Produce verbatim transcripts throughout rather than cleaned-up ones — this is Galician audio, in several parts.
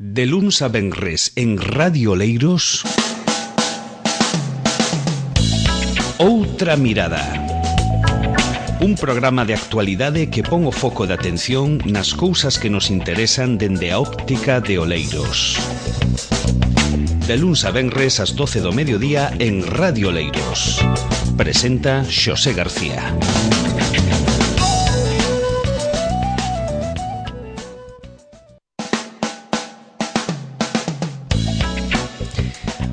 De luns a venres en Radio Oleiros, Outra Mirada. Un programa de actualidade que pon o foco de atención nas cousas que nos interesan dende a óptica de Oleiros. De luns a venres ás doce do mediodía en Radio Oleiros. Presenta Xosé García.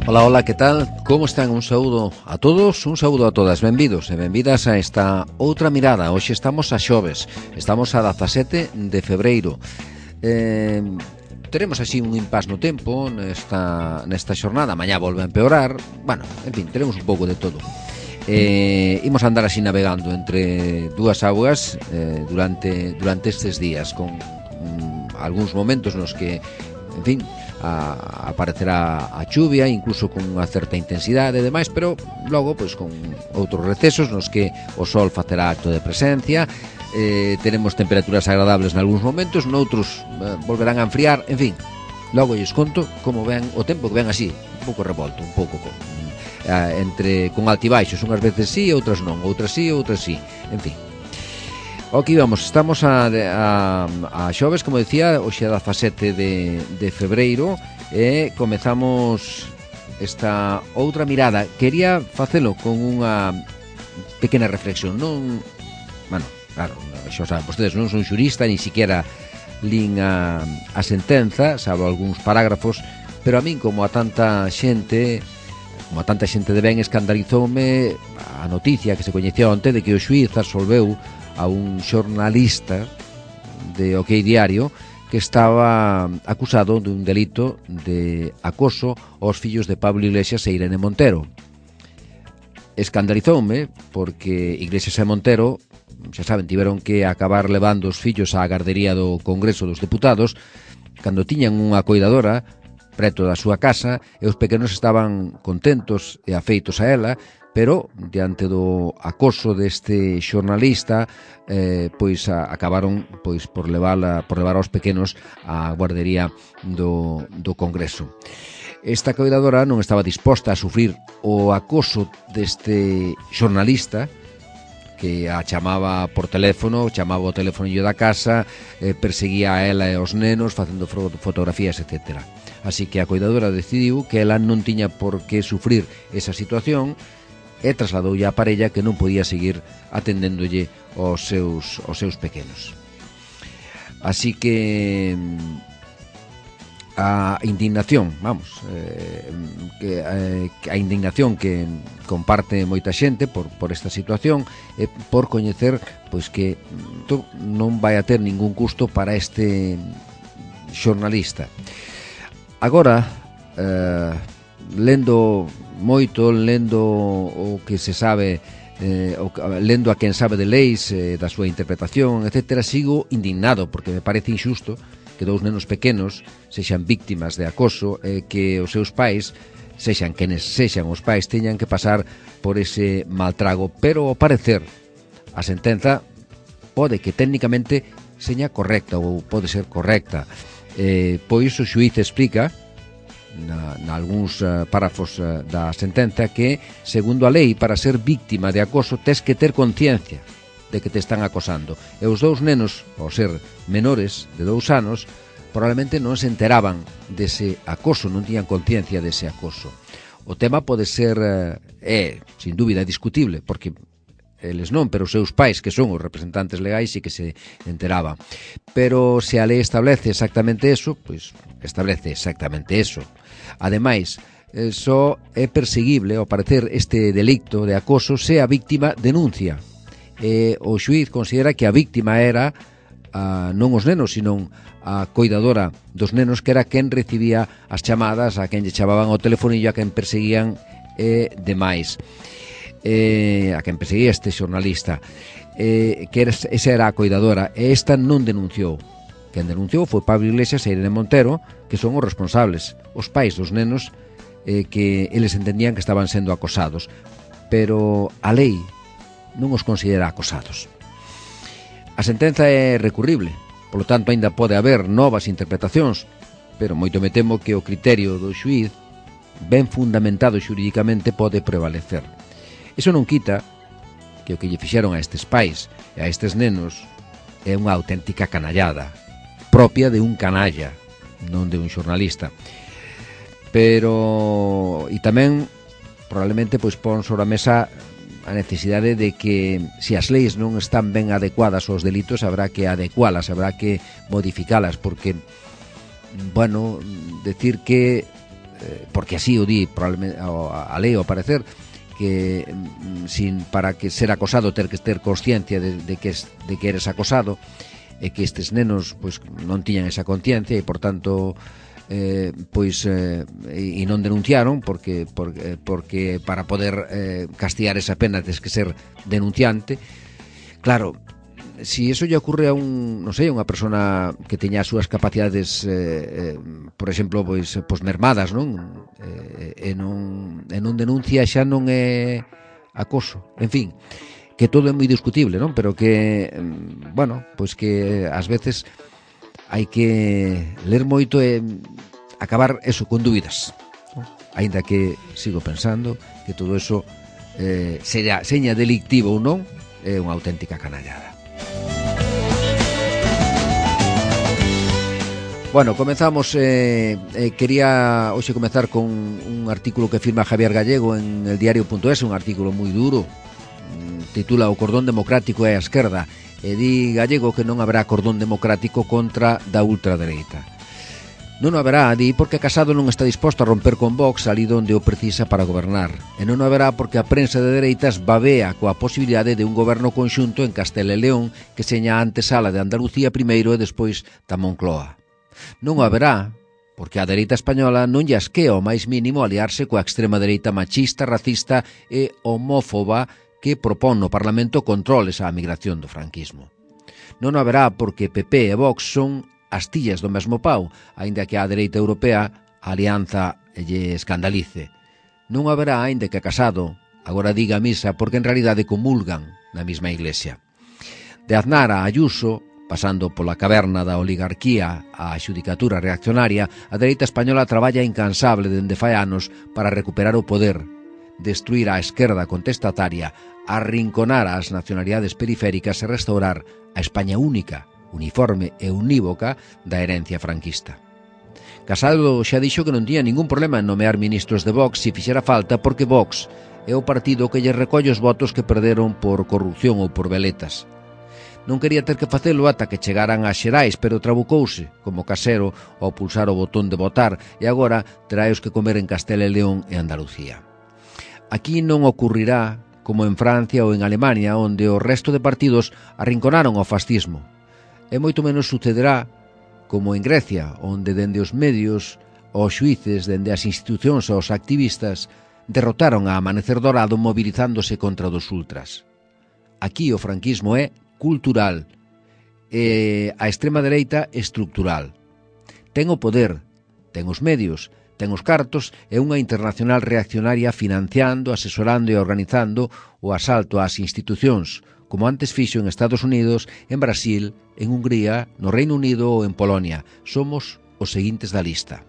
Ola, ola, que tal? Como están? Un saúdo a todos, un saúdo a todas. Benvidos e benvidas a esta Outra Mirada. Hoxe estamos a xoves, estamos a dezasete de febreiro. Eh, teremos así un impas no tempo nesta, nesta xornada. Mañá volve a empeorar. Bueno, en fin, teremos un pouco de todo. Eh, imos andar así navegando entre dúas augas eh, durante, durante estes días, con mm, algúns momentos nos que, en fin, a, aparecerá a chuvia, incluso con unha certa intensidade e demais, pero logo, pois, con outros recesos nos que o sol facerá acto de presencia. Eh, tenemos temperaturas agradables nalgúns momentos, noutros eh, volverán a enfriar, en fin, logo lles conto como ven o tempo, que ven así, un pouco revolto, un pouco con, eh, entre con altibaixos, unhas veces sí, outras non, outras sí, outras sí, en fin. Aquí vamos, estamos a, a, a xoves, como decía, hoxe é dezasete de, de febreiro e comezamos esta outra mirada. Quería facelo con unha pequena reflexión, non, bueno, claro, xa saben vostedes, non son xurista, ni siquiera lin a, a sentenza, salvo algúns parágrafos, pero a min, como a tanta xente, como a tanta xente de ben, escandalizoume a noticia que se coñecía onte de que o xuíz absolveu a un xornalista de OK Diario que estaba acusado dun delito de acoso aos fillos de Pablo Iglesias e Irene Montero. Escandalizoume porque Iglesias e Montero, xa saben, tiveron que acabar levando os fillos á gardería do Congreso dos Deputados cando tiñan unha coidadora preto da súa casa e os pequenos estaban contentos e afeitos a ela, pero diante do acoso deste xornalista eh, pois a, acabaron pois por levar por levar aos pequenos á guardería do, do Congreso. Esta coidadora non estaba disposta a sufrir o acoso deste xornalista que a chamaba por teléfono, chamaba o telefonillo da casa, eh, perseguía a ela e aos nenos facendo fotografías, etcétera. Así que a coidadora decidiu que ela non tiña por que sufrir esa situación e trasladoulle á parella que non podía seguir atendéndolle aos seus, aos seus pequenos. Así que a indignación, vamos, eh, que, eh, a indignación que comparte moita xente por, por esta situación é por coñecer pois que to, non vai a ter ningún custo para este xornalista. Agora, eh, lendo moito, lendo o que se sabe, eh, o, lendo a quen sabe de leis, eh, da súa interpretación, etcétera, sigo indignado porque me parece injusto que dous nenos pequenos sexan víctimas de acoso e eh, que os seus pais, sexan quenes sexan os pais, teñan que pasar por ese maltrago, pero ao parecer a sentenza pode que técnicamente seña correcta ou pode ser correcta. Eh, pois o xuíz explica na, na algúns uh, párrafos uh, da sentenza que, segundo a lei, para ser víctima de acoso tes que ter conciencia de que te están acosando. E os dous nenos, ao ser menores de dous anos, probablemente non se enteraban dese acoso, non tiñan conciencia dese acoso. O tema pode ser, uh, é, sin dúbida, discutible, porque eles non, pero os seus pais, que son os representantes legais, sí que se enteraban. Pero se a lei establece exactamente eso, pois establece exactamente eso. Ademais, eh, só é perseguible, ao parecer, este delicto de acoso se a víctima denuncia. E o xuíz considera que a víctima era a, non os nenos, sino a coidadora dos nenos, que era quen recibía as chamadas, a quen lle chamaban ao telefonillo, a quen perseguían e demais. Eh, a quen perseguía este xornalista, eh, que era, esa era a coidadora, e esta non denunciou. Quen denunciou foi Pablo Iglesias e Irene Montero, que son os responsables, os pais dos nenos, eh, que eles entendían que estaban sendo acosados, pero a lei non os considera acosados. A sentenza é recurrible, polo tanto, aínda pode haber novas interpretacións pero moito me temo que o criterio do xuíz, ben fundamentado xurídicamente, pode prevalecer. Iso non quita que o que lle fixeron a estes pais e a estes nenos é unha auténtica canallada, propia de un canalla, non de un xornalista. Pero, e tamén, probablemente, pois pon sobre a mesa a necesidade de que, se as leis non están ben adecuadas aos delitos, habrá que adecualas, habrá que modificalas, porque, bueno, decir que, porque así o di probablemente a lei, ao parecer, que sin para que ser acosado ter que ter consciencia de, de, que, de que eres acosado, e que estes nenos pois non tiñan esa conciencia e, por tanto, eh, pois eh, e non denunciaron porque, porque, porque para poder eh, castigar esa pena tens que ser denunciante. Claro, si eso lle ocurre a un, non sei, a unha persona que teña as súas capacidades eh, eh, por exemplo, pois, pois mermadas, non? Eh, e non e non denuncia, xa non é acoso. En fin, que todo é moi discutible, non? Pero que, bueno, pois que ás veces hai que ler moito e acabar eso con dúbidas, non? Aínda que sigo pensando que todo eso eh, seña, seña delictivo ou non, é unha auténtica canallada. Bueno, comenzamos, eh, eh, quería hoxe comezar con un artículo que firma Javier Gallego en el diario punto es, un artículo moi duro, titula O cordón democrático é a esquerda, e di Gallego que non haberá cordón democrático contra da ultradereita. Non o haberá, di, porque Casado non está disposto a romper con Vox ali onde o precisa para gobernar, e non o haberá porque a prensa de dereitas babea coa posibilidade de un goberno conxunto en Castela e León que seña a antesala de Andalucía primeiro e despois da Moncloa. Non o haberá porque a dereita española non lle asquea o máis mínimo aliarse coa extrema dereita machista, racista e homófoba que propón no Parlamento controles á migración do franquismo. Non o haberá porque P P e Vox son astillas do mesmo pau, aínda que a dereita europea a alianza lle escandalice. Non o haberá aínda que Casado agora diga misa porque en realidade comulgan na mesma iglesia. De Aznar a Ayuso, pasando pola caverna da oligarquía á xudicatura reaccionaria, a dereita española traballa incansable dende fai anos para recuperar o poder, destruir a esquerda contestataria, arrinconar as nacionalidades periféricas e restaurar a España única, uniforme e unívoca da herencia franquista. Casado xa dixo que non tiña ningún problema en nomear ministros de Vox se fixera falta porque Vox é o partido que lle recolle os votos que perderon por corrupción ou por veletas. Non quería ter que facelo ata que chegaran as xerais, pero trabucouse, como Casero, ao pulsar o botón de votar, e agora traeos que comer en Castela e León e Andalucía. Aquí non ocurrirá como en Francia ou en Alemania, onde o resto de partidos arrinconaron ao fascismo. E moito menos sucederá como en Grecia, onde dende os medios, os xuíces, dende as institucións aos activistas, derrotaron a Amanecer Dorado movilizándose contra dos ultras. Aquí o franquismo é cultural e a extrema dereita estructural. Ten o poder, ten os medios, ten os cartos e unha internacional reaccionaria financiando, asesorando e organizando o asalto ás institucións, como antes fixo en Estados Unidos, en Brasil, en Hungría, no Reino Unido ou en Polonia. Somos os seguintes da lista.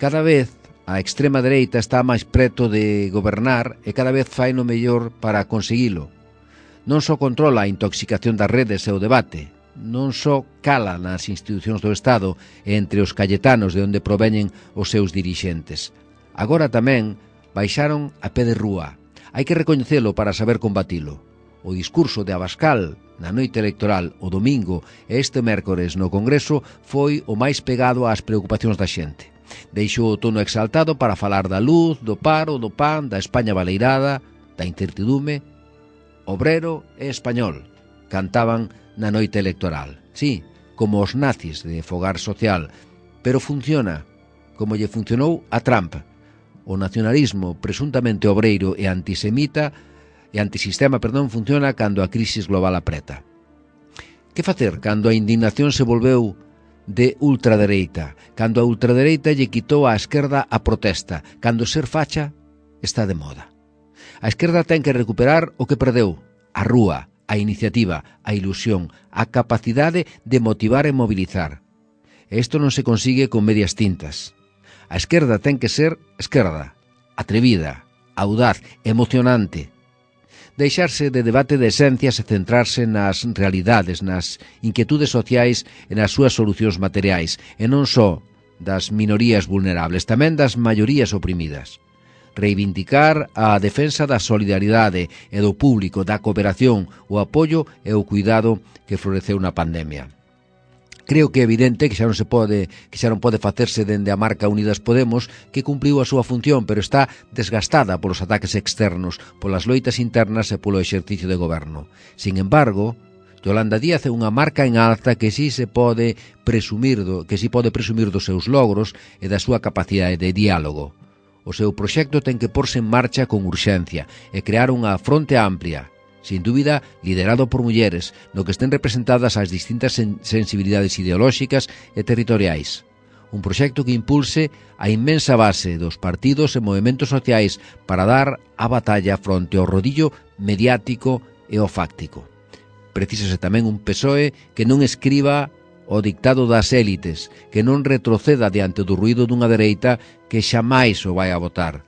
Cada vez a extrema dereita está máis preto de gobernar e cada vez fai no mellor para conseguilo. Non só controla a intoxicación das redes e o debate, non só cala nas institucións do Estado e entre os calletanos de onde proveñen os seus dirixentes. Agora tamén baixaron a pé de rúa. Hai que recoñecelo para saber combatilo. O discurso de Abascal na noite electoral o domingo e este mércores no Congreso foi o máis pegado ás preocupacións da xente. Deixou o tono exaltado para falar da luz, do paro, do pan, da España baleirada, da incertidume. Obrero e español, cantaban na noite electoral. Sí, como os nazis de Fogar Social, pero funciona, como lle funcionou a Trump. O nacionalismo presuntamente obreiro e antisemita e antisistema, perdón, funciona cando a crisis global apreta. Que facer cando a indignación se volveu de ultradereita, cando a ultradereita lle quitou á esquerda a protesta, cando ser facha está de moda? A esquerda ten que recuperar o que perdeu, a rúa, a iniciativa, a ilusión, a capacidade de motivar e mobilizar. E isto non se consigue con medias tintas. A esquerda ten que ser esquerda, atrevida, audaz, emocionante. Deixarse de debate de esencias e centrarse nas realidades, nas inquietudes sociais e nas súas solucións materiais, e non só das minorías vulnerables, tamén das maiorías oprimidas. Reivindicar a defensa da solidaridade e do público, da cooperación, o apoio e o cuidado que floreceu na pandemia. Creo que é evidente que xa non se pode, que xa non pode facerse dende a marca Unidas Podemos, que cumpriu a súa función, pero está desgastada polos ataques externos, polas loitas internas e polo exercicio de goberno. Sin embargo, Yolanda Díaz é unha marca en alza que si se pode presumir do, que si pode presumir dos seus logros e da súa capacidade de diálogo. O seu proxecto ten que porse en marcha con urxencia e crear unha fronte amplia, sin dúbida liderado por mulleres, no que estén representadas as distintas sen sensibilidades ideolóxicas e territoriais. Un proxecto que impulse a inmensa base dos partidos e movementos sociais para dar a batalla fronte ao rodillo mediático e ao fáctico. Precísase tamén un P S O E que non escriba o dictado das élites, que non retroceda diante do ruído dunha dereita que xamais o vai a votar.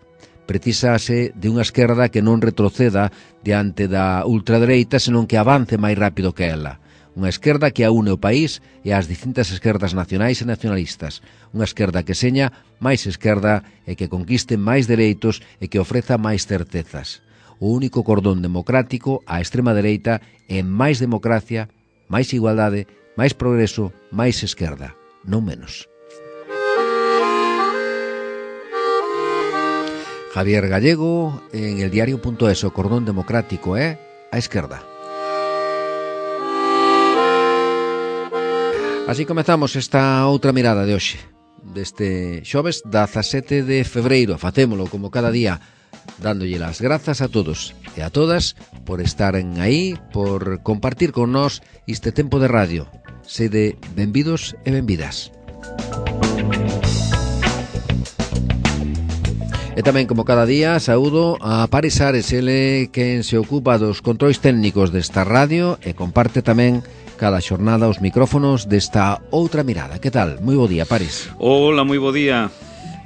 Precisase de unha esquerda que non retroceda diante da ultradereita, senón que avance máis rápido que ela. Unha esquerda que aúne o país e as distintas esquerdas nacionais e nacionalistas. Unha esquerda que seña máis esquerda e que conquiste máis dereitos e que ofreza máis certezas. O único cordón democrático á extrema dereita é máis democracia, máis igualdade, máis progreso, máis esquerda, non menos. Javier Gallego, en el diario punto es, o cordón democrático é a esquerda. Así comezamos esta outra mirada de hoxe, deste xoves dezasete de febreiro. Facémolo como cada día, dándolle las grazas a todos e a todas por estaren aí, por compartir con nós este tempo de radio. Sede benvidos e benvidas. E tamén, como cada día, saúdo a Paris Ares, ele quen se ocupa dos controis técnicos desta radio e comparte tamén cada xornada os micrófonos desta outra mirada. Que tal? Moi bo día, Paris. Hola, moi bo día.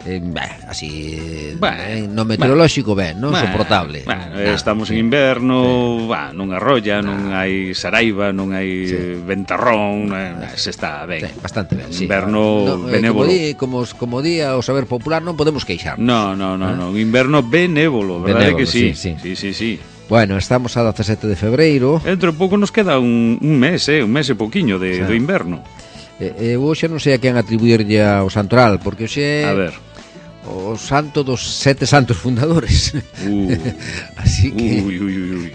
Eh, bah, así, bah, no meteorolóxico bah, ben, non bah, soportable. Bah, nah, estamos en inverno, sí. bah, non arrolla, nah. non hai saraiva, non hai sí. ventarrón, nah. se está ben. Sí, bastante ben, sí. Inverno no, benévolo. Eh, como, di, como, como día o saber popular, non podemos queixarnos. No, no, no, ¿eh? no, inverno benévolo, verdade que sí? Sí, sí, sí, sí. Bueno, estamos a dezasete de febreiro. Dentro de pouco nos queda un, un mes, eh, un mes e pouquiño de, sí. do inverno. Eh, eh, hoxe non sei a quen atribuirlle ao santoral, porque hoxe... A ver... o santo dos sete santos fundadores. Uh, Así que... Ui, ui, ui, ui.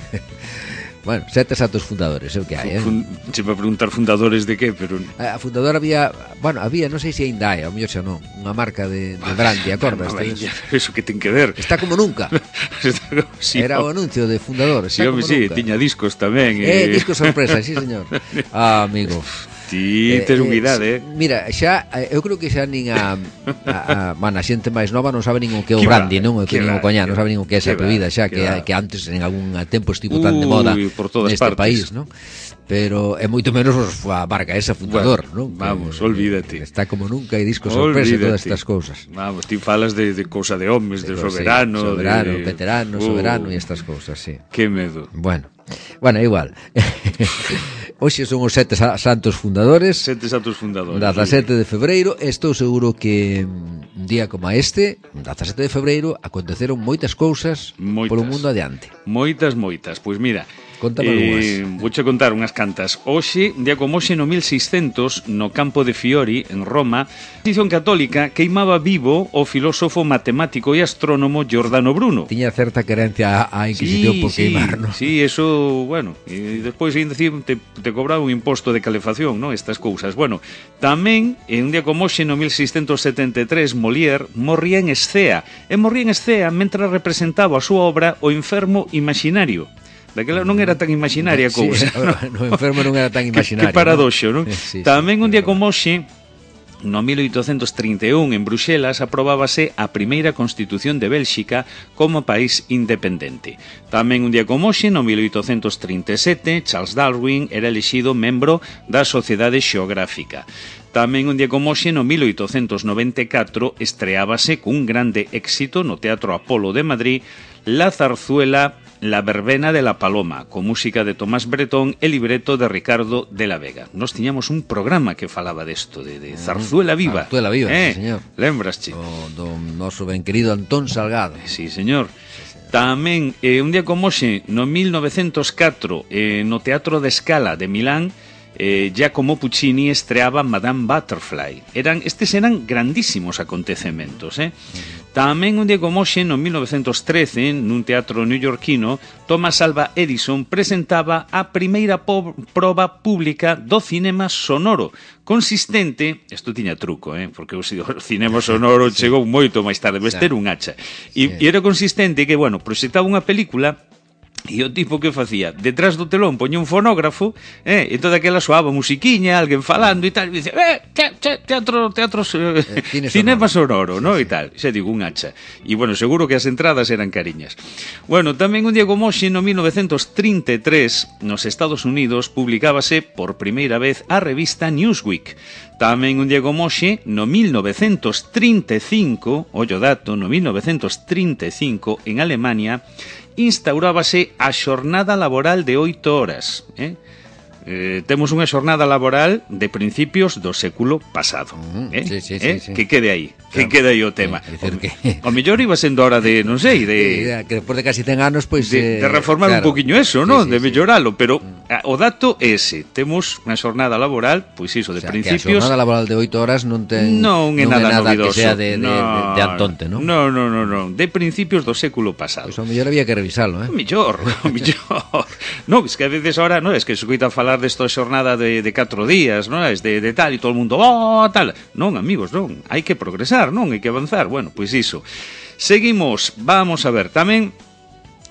Bueno, sete santos fundadores, é o que hai, eh? Fun, se para preguntar fundadores de que, pero... A fundadora había... Bueno, había, non sei se ainda hai, ao mellor xa non, unha marca de, de brandy, acordas? Eso que ten que ver. Está como nunca. Está, sí, Era o anuncio de fundador. Sí, home, sí, tiña discos tamén. Eh, eh discos sorpresa, sí, señor. Ah, amigo... Ti tes eh, humidade, eh, eh. Mira, xa, eu creo que xa nin a, a, a, man, a xente máis nova non sabe nin o que é o brandy, non? Que nin o coñá, non sabe nin o que é esa bebida, xa que, que antes en algún tempo estivo tan de moda neste país, non? Pero é moito menos a marca esa fundador, bueno, non? Vamos, que, olvídate. Está como nunca e disco sorpresa e todas estas cousas. Vamos, ti falas de, de cousa de homes, de, de soberano, sí, soberano, de... veterano, uh, soberano e estas cousas, sí. Que medo. Bueno, bueno, igual. Hoxe son os sete santos fundadores. Sete santos fundadores. dezasete de febreiro. Estou seguro que un día como este, dezasete de febreiro, aconteceron moitas cousas moitas, polo mundo adiante. Moitas, moitas. Pois mira, Contame eh, vouche contar unhas cantas. Hoxe, un día como hoxe no mil seiscentos, no campo de Fiori, en Roma, a Inquisición Católica queimaba vivo o filósofo matemático e astrónomo Giordano Bruno. Tiña certa querencia á Inquisición sí, por queimar, sí, non? Sí, eso, bueno, e despois ainda te, te cobraba un imposto de calefacción, non? Estas cousas. Bueno, tamén, en un día como hoxe no mil seiscentos setenta e tres, Molière morría en Escea. E morría en Escea mentre representaba a súa obra O enfermo imaginario. Daquela non era tan imaginaria a cousa. Sí, no enfermo non era tan imaginario. Que, que paradoxo, non? Sí, Tamén sí, un día como hoxe, no mil oitocentos trinta e un en Bruxelas aprobábase a primeira Constitución de Bélxica como país independente. Tamén un día como hoxe, no mil oitocentos trinta e sete, Charles Darwin era elixido membro da Sociedade Xeográfica. Tamén un día como hoxe, no mil oitocentos noventa e catro, estreábase cun grande éxito no Teatro Apolo de Madrid la zarzuela La verbena de la paloma, con música de Tomás Bretón e libreto de Ricardo de la Vega. Nos tiñamos un programa que falaba desto, de, de Zarzuela Viva. Zarzuela Viva, eh, sí, señor. Lembrasche? O do noso ben querido Antón Salgado. Sí, señor. Tamén, eh, un día como hoxe, no mil novecentos catro, eh, no Teatro de Scala de Milán, eh, Giacomo Puccini estreaba Madame Butterfly. Eran, estes eran grandísimos acontecementos, eh? Uh-huh. Tamén un día como hoxe, no mil novecentos trece, nun teatro neoyorquino, Thomas Alva Edison presentaba a primeira po- proba pública do cinema sonoro, consistente, isto tiña truco, eh, porque o cinema sonoro sí. chegou moito máis tarde, vestir un hacha, e, sí. e era consistente que, bueno, proxectaba unha película. E o tipo que facía, detrás do telón poñía un fonógrafo, eh, e toda aquela soaba musiquiña, alguén falando e tal, e dice, eh, te, te, teatro, teatro, eh, eh, cinema sonoro, sonoro, no? Sí, sí. E tal, xa digo, un hacha. E, bueno, seguro que as entradas eran cariñas. Bueno, tamén un día como hoxe, no mil novecentos trinta e tres, nos Estados Unidos, publicábase por primeira vez a revista Newsweek. Tamén un día como hoxe, no mil novecentos trinta e cinco, ollo dato, no mil novecentos trinta e cinco, en Alemania, instaurábase a xornada laboral de oito horas, eh? Eh, temos unha xornada laboral de principios do século pasado, eh? sí, sí, eh? sí, sí. Que quede aí, que claro. quede aí o tema. Sí, o, que... o mellor iba sendo hora de, non sei, de que despois de casi cen anos, pois pues, de, eh, de reformar claro. un poquiño eso, ¿no? Sí, sí, de melloralo, sí. Pero o dato é ese, temos unha xornada laboral, pois iso, de o sea, principios. Que a xornada laboral de oito horas non ten non é nada, nada novidoso, que sea de, de, no, de, de Antonte, ¿no? No, no, no, no, de principios do século pasado. Pois pues, o mellor había que revisalo, eh? O mellor, o mellor. No, es que a veces ahora, no, es que se coita falar desto de xornada de, de catro días, non? Es de, de tal, e todo o mundo, oh, tal. Non, amigos, non, hai que progresar, non, hai que avanzar. Bueno, pois iso. Seguimos, vamos a ver, tamén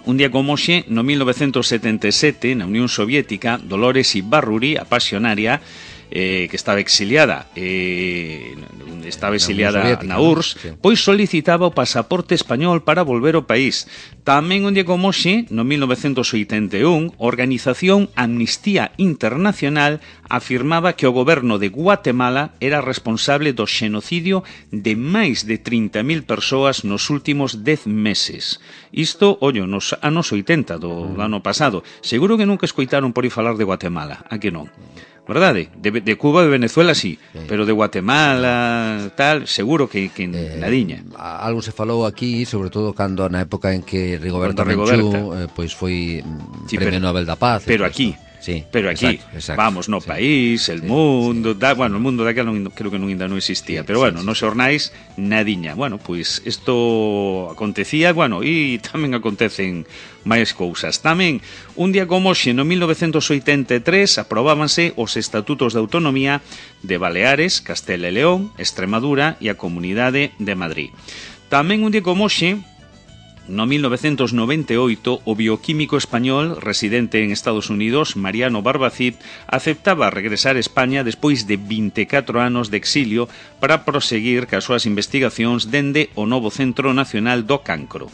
un día como hoxe, no mil novecentos setenta e sete, na Unión Soviética, Dolores Ibarruri, a pasionaria, eh, que estaba exiliada eh, estaba exiliada na U R S S, sí. Pois solicitaba o pasaporte español para volver ao país. Tamén un día como hoxe, no mil novecentos oitenta e un, a organización Amnistía Internacional afirmaba que o goberno de Guatemala era responsable do xenocidio de máis de trinta mil persoas nos últimos dez meses. Isto, ollo, nos anos oitenta do, do ano pasado. Seguro que nunca escoitaron por aí falar de Guatemala, a que non? Verdade? De, de Cuba e de Venezuela sí, sí, pero de Guatemala tal, seguro que, que eh, nadiña. Algo se falou aquí, sobre todo cando na época en que Rigoberta Menchú eh, pois foi sí, Premio pero, Nobel da Paz. Pero aquí, sí, pero aquí, exacto, exacto, vamos, no sí, país, el sí, mundo, sí, da, bueno, o mundo daquela non, creo que non ainda non existía, sí, pero bueno, sí, nos xornais nadiña. Bueno, pois pues, isto acontecía, bueno, e tamén acontecen máis cousas. Tamén, un día como hoxe, no mil novecentos oitenta e tres, aprobábanse os Estatutos de Autonomía de Baleares, Castela e León, Extremadura e a Comunidade de Madrid. Tamén un día como hoxe, no mil novecentos noventa e oito, o bioquímico español residente en Estados Unidos, Mariano Barbacid, aceptaba regresar a España despois de vinte e catro anos de exilio para proseguir cas súas investigacións dende o novo Centro Nacional do Cancro.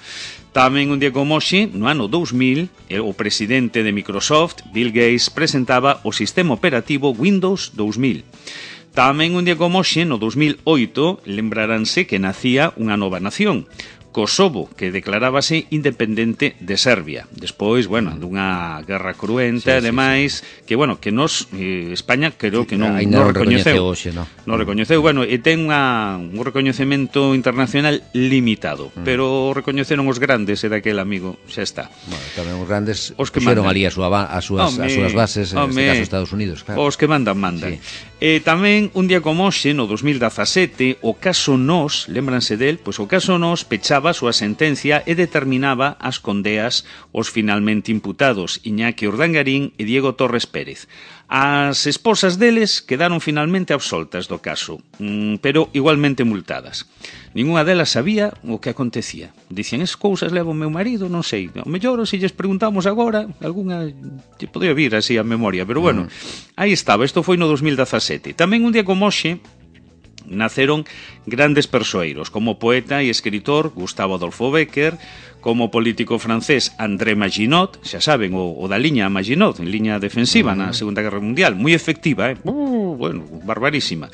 Tamén un día como hoxe, no ano dous mil, o presidente de Microsoft, Bill Gates, presentaba o sistema operativo Windows dous mil. Tamén un día como hoxe, no dous mil oito, lembraránse que nacía unha nova nación, Kosovo, que declarábase independente de Serbia. Despois, bueno, dunha guerra cruenta, sí, ademais, sí, sí. que, bueno, que nos, eh, España, creo sí, que non, non recoñeceu. Hoxe, no. Non recoñeceu, bueno, e ten unha, un recoñecemento internacional limitado, mm. pero recoñeceron os grandes, e daquel amigo, xa está. Bueno, tamén os grandes os que puxeron ali a súa, a súas, home, as súas bases, en este caso Estados Unidos, claro. Os que mandan, mandan. Sí. E tamén, un día como hoxe, no dos mil dezasete, o caso Nos, lembranse del, pois o caso Nos pechaba a súa sentencia e determinaba as condeas os finalmente imputados Iñaki Urdangarín e Diego Torres Pérez. As esposas deles quedaron finalmente absoltas do caso, pero igualmente multadas. Ninguna delas sabía o que acontecía. Dicían, es cousas leva o meu marido, non sei. O mellor, se lles preguntamos agora, algunha lle podría vir así a memoria, pero bueno, mm. aí estaba, isto foi no dos mil dezasete. Tamén un día como hoxe, naceron grandes persoeiros, como poeta e escritor Gustavo Adolfo Bécquer, como político francés André Maginot, xa saben, o, o da liña Maginot, en liña defensiva na Segunda Guerra Mundial, moi efectiva, eh? Uh, bueno, barbarísima.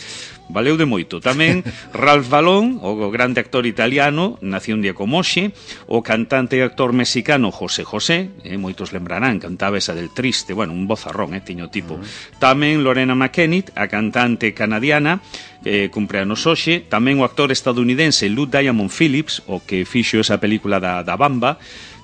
Valeu de moito. Tamén Ralph Balón, o grande actor italiano, nació un día como hoxe, o cantante e actor mexicano José José, eh, moitos lembrarán, cantaba esa del Triste, bueno, un vozarrón, eh, tiño tipo. Tamén Lorena McKennitt, a cantante canadiana, eh, cumpleanos hoxe, tamén o actor estadounidense Lou Diamond Phillips, o que fixo esa película da, da Bamba,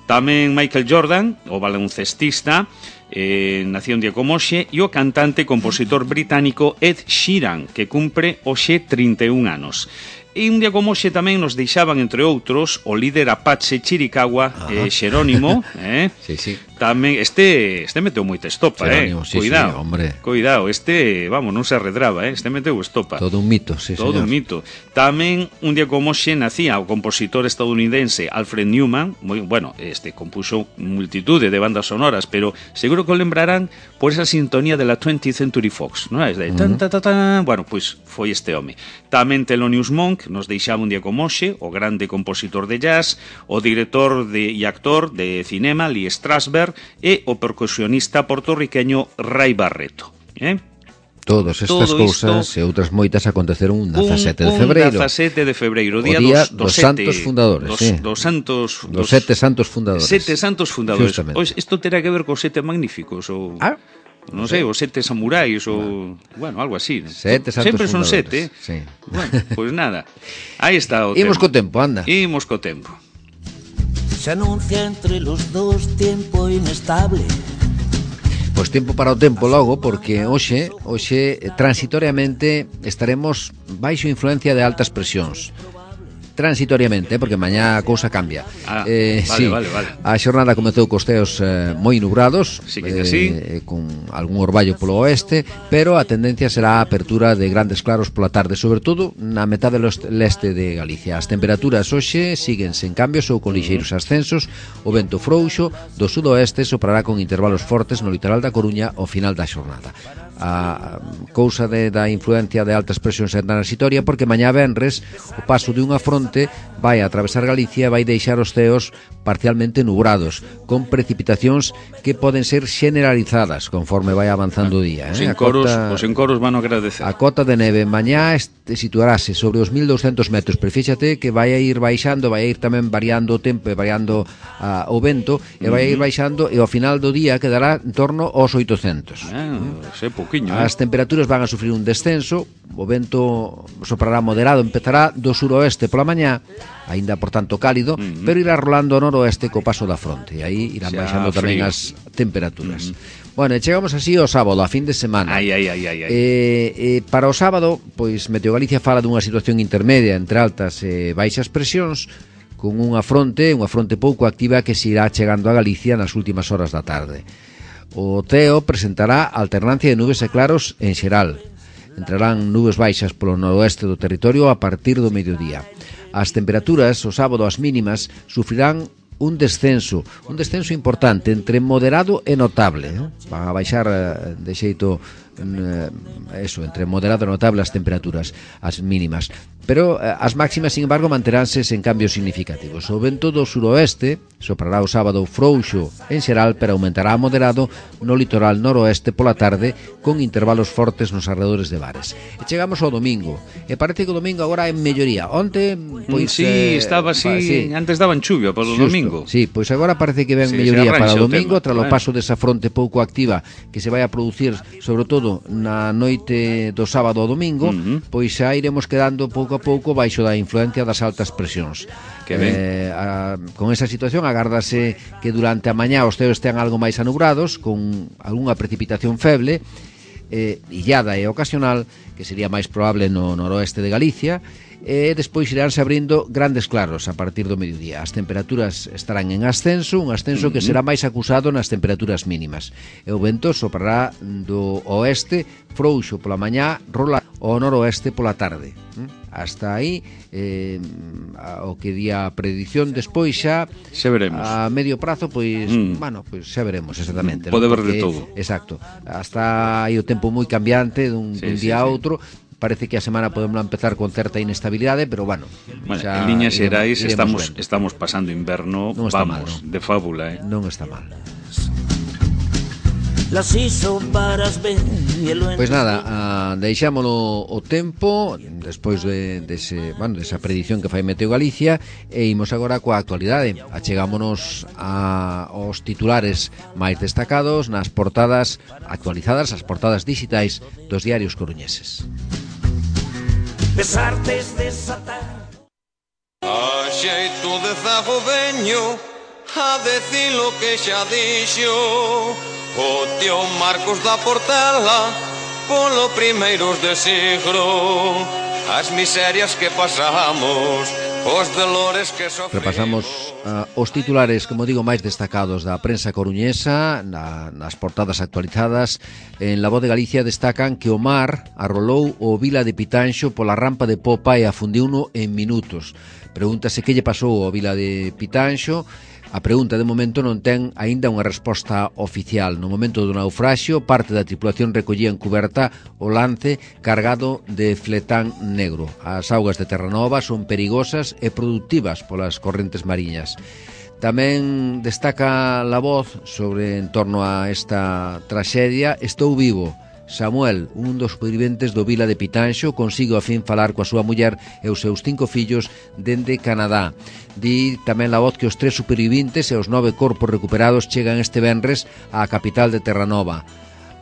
tamén Michael Jordan, o baloncestista, eh, nació un día como hoxe, e o cantante e compositor británico Ed Sheeran, que cumpre hoxe trinta e un anos. E un día como hoxe tamén nos deixaban, entre outros, o líder Apache Chiricahua, eh, Xerónimo, eh? Sí, sí. Tamén, este, este meteu moita estopa, Xerónimo, eh? Sí, Cuidado, sí, hombre. Cuidado, este, vamos, non se arredraba, eh? Este meteu estopa. Todo un mito, sí, Todo señor. un mito. Tamén, un día como hoxe, nacía o compositor estadounidense Alfred Newman, moi, bueno, este compuxo multitude de bandas sonoras, pero seguro que o lembrarán por esa sintonía de la twentieth Century Fox, non é? De tan, tan, tan, tan, bueno, pois foi este home. Tamén Thelonious Monk nos deixaba un día como hoxe, o grande compositor de jazz, o director de, e actor de cinema Lee Strasberg e o percusionista portorriqueño Ray Barreto, eh? Todas estas Todo cousas isto, e outras moitas aconteceron un dezasete de un febreiro. dezasete de febreiro, O día, día dos, dos sete, santos fundadores, dos, sí. dos santos, Dos sete santos fundadores. Sete santos fundadores. Justamente. Pois isto terá que ver cos sete magníficos ou Ah, non sei, os sete samurais ou, bueno, algo así. Sete santos Sempre son fundadores, sete. sí. Bueno, pois nada. Aí está o Imos tema. co tempo, anda. Imos co tempo. Se anuncia entre los dos tiempo inestable. Pois tempo para o tempo logo, porque hoxe, hoxe transitoriamente estaremos baixo influencia de altas presións. Transitoriamente, eh, porque mañá a cousa cambia. Ah, eh, vale, sí, vale, vale. A xornada comezou cos teos eh, moi nubrados, Sí que sí. eh, con algún orballo polo oeste, pero a tendencia será a apertura de grandes claros pola tarde, sobre todo na metade do leste de Galicia. As temperaturas hoxe siguen sen cambios ou con lixeiros ascensos. O vento frouxo do sudoeste soprará con intervalos fortes no litoral da Coruña ao final da xornada. A cousa de, da influencia de altas presións é transitoria, porque mañá venres o paso de unha fronte vai a atravesar Galicia e vai deixar os ceos parcialmente nubrados, con precipitacións que poden ser generalizadas conforme vai avanzando o día, Os eh? A encoros, cota- os encoros van a agradecer. A cota de neve mañá este, situarase sobre os mil douscentos metros, pero fíxate que vai a ir baixando, vai a ir tamén variando o tempo e variando a, o vento, e vai a ir baixando, e ao final do día quedará en torno aos oitocentos. Ah, sei pouquiño, eh? As temperaturas van a sufrir un descenso, o vento soprará moderado, empezará do suroeste pola mañá, aínda por tanto cálido, uh -huh. pero irá rolando ao noroeste co paso da fronte, e aí irán Xa baixando tamén frío. as temperaturas. Uh -huh. Bueno, e chegamos así ao sábado, a fin de semana. Ai, ai, ai, ai, ai. Eh, eh, para o sábado, pois Meteo Galicia fala dunha situación intermedia entre altas e baixas presións, con unha fronte, unha fronte pouco activa que se irá chegando a Galicia nas últimas horas da tarde. O ceo presentará alternancia de nubes e claros en xeral. Entrarán nubes baixas polo noroeste do territorio a partir do mediodía. As temperaturas, o sábado, as mínimas, sufrirán un descenso, un descenso importante, entre moderado e notable, eh? Van a baixar eh, de xeito eh, eso, entre moderado e notable as temperaturas, as mínimas. Pero eh, as máximas, sin embargo, manteránse sen cambios significativos. O vento do suroeste soprará o sábado frouxo en xeral, pero aumentará a moderado no litoral noroeste pola tarde, con intervalos fortes nos arredores de bares. E chegamos ao domingo, e parece que o domingo agora é melloría. Onte, pois... Sí, eh, estaba así, pa, sí. antes daban chuvia para o Xusto, domingo. Sí, pois agora parece que ven Sí, melloría se para arranxa o o domingo, tema, tras o claro. paso desa fronte pouco activa que se vai a producir, sobre todo na noite do sábado ao domingo, Uh -huh. pois xa iremos quedando pouco a pouco baixo da influencia das altas presións. Que ben. Eh, a, con esa situación agárdase que durante a mañá os ceos estean algo máis anubrados, con algunha precipitación feble, eh, illada e ocasional, que sería máis probable no noroeste de Galicia, e despois iránse abrindo grandes claros a partir do mediodía. As temperaturas estarán en ascenso, un ascenso uh -huh. que será máis acusado nas temperaturas mínimas. E o vento soprará do oeste, frouxo pola mañá, rola ao noroeste pola tarde. Hasta aí eh, o que di a predición despois xa Xa veremos. a medio prazo, pois, Mm. bueno, pois xa veremos exactamente. Pode ¿no? haber de Porque, todo. Exacto. Hasta aí o tempo moi cambiante dun, Sí, dun sí, día a sí. outro, parece que a semana podemos empezar con certa inestabilidade, pero bueno, bueno en liñas xerais estamos, estamos pasando inverno, non vamos, mal, non? De fábula, eh? Non está mal. Pois nada, uh, deixámolo o tempo despois de, de ese, bueno, desa predición que fai Meteo Galicia, e imos agora coa actualidade. Achegámonos a, aos titulares máis destacados nas portadas actualizadas, as portadas digitais dos diarios coruñeses. Besartes desatar a xeito de zago veño a decir lo que xa dixo o tío Marcos da Portela polo primeiros de siglo, as miserias que pasamos, os dolores que sofrimos. Repasamos uh, os titulares, como digo, máis destacados da prensa coruñesa na, nas portadas actualizadas. En La Voz de Galicia destacan que o mar arrolou o Vila de Pitanxo pola rampa de popa e afundiuno en minutos. Pregúntase que lle pasou ao Vila de Pitanxo. A pregunta de momento non ten aínda unha resposta oficial. No momento do naufraxio, parte da tripulación recollía en cuberta o lance cargado de fletán negro. As augas de Terranova son perigosas e productivas polas correntes mariñas. Tamén destaca La Voz sobre en torno a esta traxedia. Estou vivo. Samuel, un dos superviventes do Vila de Pitanxo, consigo a fin falar coa súa muller e os seus cinco fillos dende Canadá. Di tamén La Voz que os tres superviventes e os nove corpos recuperados chegan este venres á capital de Terranova.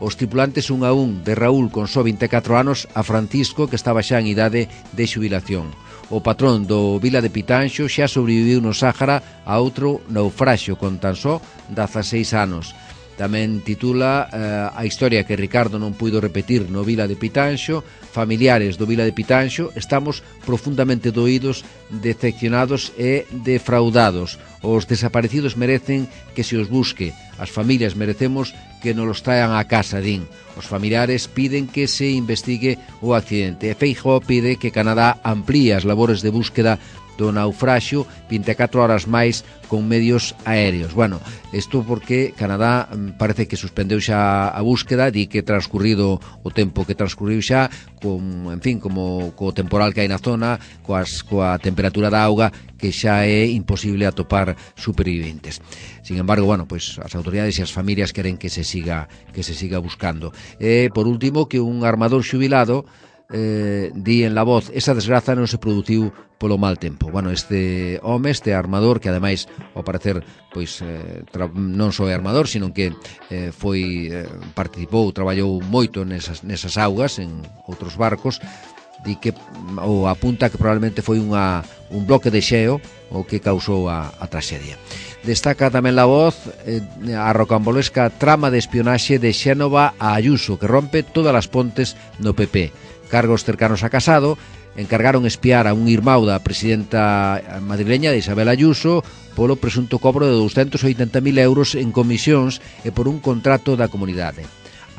Os tripulantes un a un, de Raúl con só vinte e catro anos a Francisco, que estaba xa en idade de xubilación. O patrón do Vila de Pitanxo xa sobreviviu no Sáhara a outro naufraxio con tan só dezaseis anos. Tamén titula eh, a historia que Ricardo non puido repetir no Vila de Pitanxo. Familiares do Vila de Pitanxo estamos profundamente doídos, decepcionados e defraudados. Os desaparecidos merecen que se os busque. As familias merecemos que nos los traen á casa, din. Os familiares piden que se investigue o accidente. E Feijóo pide que Canadá amplíe as labores de búsqueda do naufraxio vinte e catro horas máis con medios aéreos. Bueno, isto porque Canadá parece que suspendeu xa a búsqueda, di que transcurrido o tempo que transcurriu xa, con, en fin, como co temporal que hai na zona, coas, coa temperatura da auga, que xa é imposible atopar superviventes. Sin embargo, bueno, pues as autoridades e as familias queren que se siga que se siga buscando. E por último, que un armador xubilado Eh, di en La Voz, esa desgraza non se produciu polo mal tempo. Bueno, este home, este armador, que ademais ao parecer pois eh, tra- non só é armador, sino que eh, foi eh, participou, traballou moito nesas, nesas augas en outros barcos, di que ou apunta que probablemente foi unha, un bloque de xeo o que causou a, a traxedia. Destaca tamén La Voz eh, a rocambolesca trama de espionaxe de Xénova a Ayuso, que rompe todas as pontes no P P. Cargos cercanos a Casado encargaron espiar a un irmão da presidenta madrileña de Isabel Ayuso polo presunto cobro de doscientos oitenta mil euros en comisións e por un contrato da comunidade.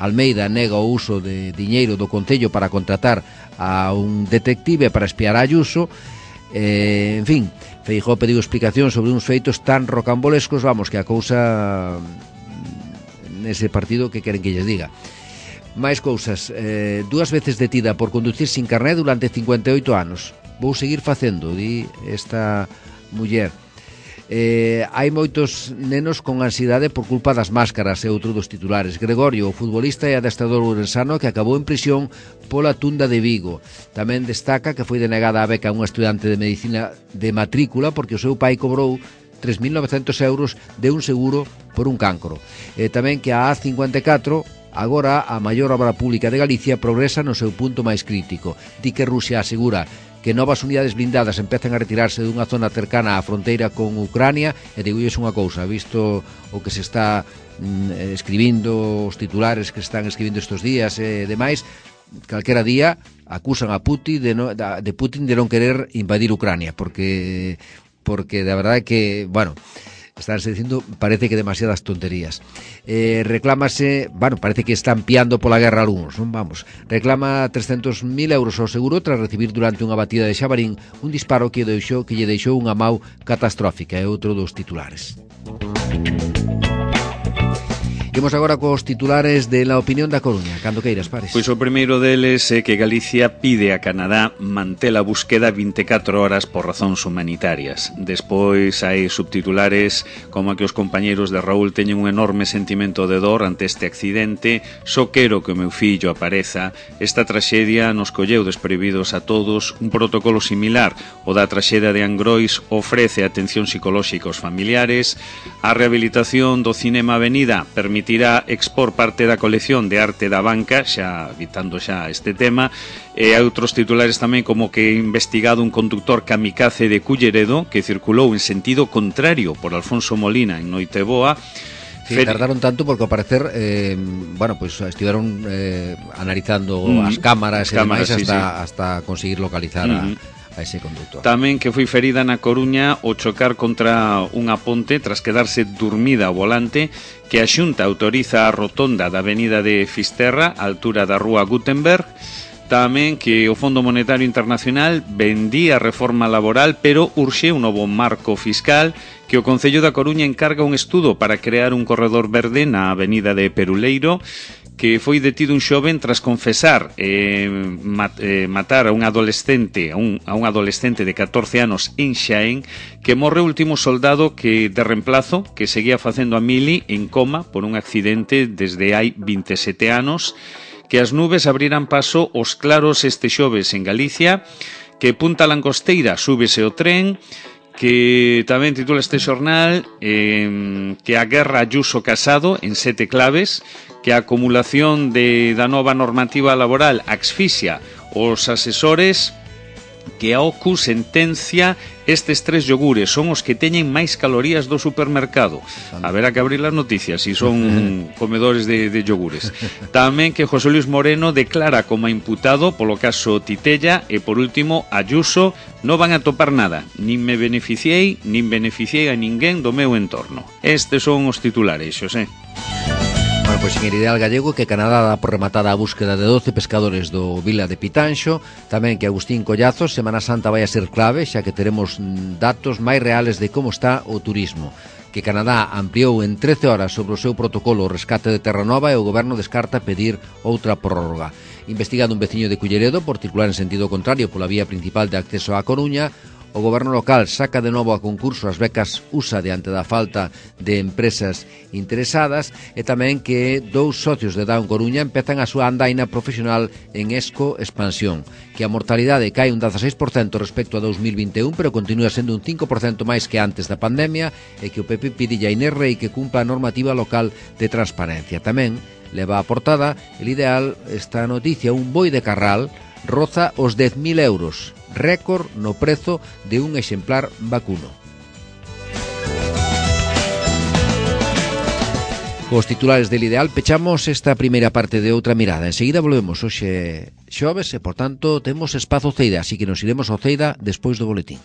Almeida nega o uso de diñeiro do Concello para contratar a un detective para espiar a Ayuso. Eh, en fin, Feijóo pediu explicación sobre uns feitos tan rocambolescos, vamos, que a cousa nese partido que queren que lles diga. Máis cousas, eh, dúas veces detida por conducir sin carné durante cincuenta e oito anos. Vou seguir facendo, di esta muller. Eh, hai moitos nenos con ansiedade por culpa das máscaras, e outro dos titulares. Gregorio, o futbolista e adestrador ourensano que acabou en prisión pola tunda de Vigo. Tamén destaca que foi denegada a beca a unha estudante de medicina de matrícula porque o seu pai cobrou tres mil novecentos euros de un seguro por un cancro. E tamén que a A cincuenta e catro, agora a maior obra pública de Galicia, progresa no seu punto máis crítico. Di que Rusia asegura que novas unidades blindadas empezan a retirarse dunha zona cercana á fronteira con Ucrania, e digo iso unha cousa, visto o que se está mm, escribindo, os titulares que se están escribindo estes días e demais, calquera día acusan a Putin de, no, de Putin de non querer invadir Ucrania, porque porque de verdade que, bueno, estánse dicindo, parece que demasiadas tonterías. Eh, reclámase, bueno, parece que están piando pola guerra algúns, non? Vamos, reclama trescentos mil euros ao seguro tras recibir durante unha batida de Xabarín un disparo que, deixou, que lle deixou unha mau catastrófica, é outro dos titulares. Imos agora cos titulares de La Opinión da Coruña. Cando queiras, Pares. Pois o primeiro deles é que Galicia pide a Canadá manter a búsqueda vinte e catro horas por razóns humanitarias. Despois hai subtitulares como que os compañeros de Raúl teñen un enorme sentimento de dor ante este accidente. Só quero que o meu fillo apareza. Esta traxedia nos colleu desprevidos a todos. Un protocolo similar o da traxedia de Angrois ofrece atención psicolóxica aos familiares. A rehabilitación do Cinema Avenida permitirá expor parte da colección de arte da banca, xa evitando xa este tema. E hai outros titulares tamén como que investigado un conductor kamikaze de Culleredo que circulou en sentido contrario por Alfonso Molina en Noiteboa. Sí, tardaron tanto porque ao parecer eh, bueno, pues estiveron eh, analizando mm, as cámaras e demais hasta, sí, sí. hasta conseguir localizar mm. a, a ese conductor. Tamén que foi ferida na Coruña ao chocar contra unha ponte tras quedarse dormida ao volante, que a Xunta autoriza a rotonda da avenida de Fisterra, a altura da rúa Gutenberg. Tamén que o Fondo Monetario Internacional vendía a reforma laboral, pero urxe un novo marco fiscal, que o Concello da Coruña encarga un estudo para crear un corredor verde na avenida de Peruleiro, que foi detido un xoven tras confesar eh, mat, eh, matar a un adolescente a un, a un adolescente de catorce anos en Xaén, que morre o último soldado que de reemplazo que seguía facendo a mili en coma por un accidente desde hai vinte e sete anos. Que as nubes abriran paso os claros este xoves en Galicia, que Punta Langosteira súbese o tren, que tamén titula este xornal eh, que a guerra Ayuso Casado en sete claves, que a acumulación de, da nova normativa laboral asfixia os asesores, que a O C U sentencia estes tres yogures son os que teñen máis calorías do supermercado. Haberá que abrir as noticias si son comedores de, de yogures. Tamén que José Luis Moreno declara como imputado polo caso Titella. E por último, Ayuso: non van a topar nada, nin me beneficiei nin beneficiei a ninguén do meu entorno. Estes son os titulares, Xosé. Bueno, pois en el ideal gallego que Canadá dá por rematada a búsqueda de doce pescadores do Vila de Pitanxo. Tamén que Agustín Collazos: Semana Santa vai a ser clave, xa que teremos datos máis reales de como está o turismo. Que Canadá ampliou en trece horas sobre o seu protocolo o rescate de Terranova e o goberno descarta pedir outra prórroga. Investigado un veciño de Culleredo por circular en sentido contrario pola vía principal de acceso á Coruña. O goberno local saca de novo a concurso as becas U S A diante da falta de empresas interesadas. E tamén que dous socios de Down Coruña empezan a súa andaina profesional en Esco Expansión. Que a mortalidade cae un dezaseis por cento respecto a dos mil vinte e un, pero continúa sendo un cinco por cento máis que antes da pandemia. E que o P P pide a Inés Rei que cumpla a normativa local de transparencia. Tamén leva a portada el ideal esta noticia: un boi de Carral roza os dez mil euros, récord no prezo de un exemplar vacuno. Cos titulares del ideal pechamos esta primeira parte de Outra Mirada. Enseguida volvemos hoxe xoves e, por tanto, temos espazo Ceida, así que nos iremos ao Ceida despois do boletín.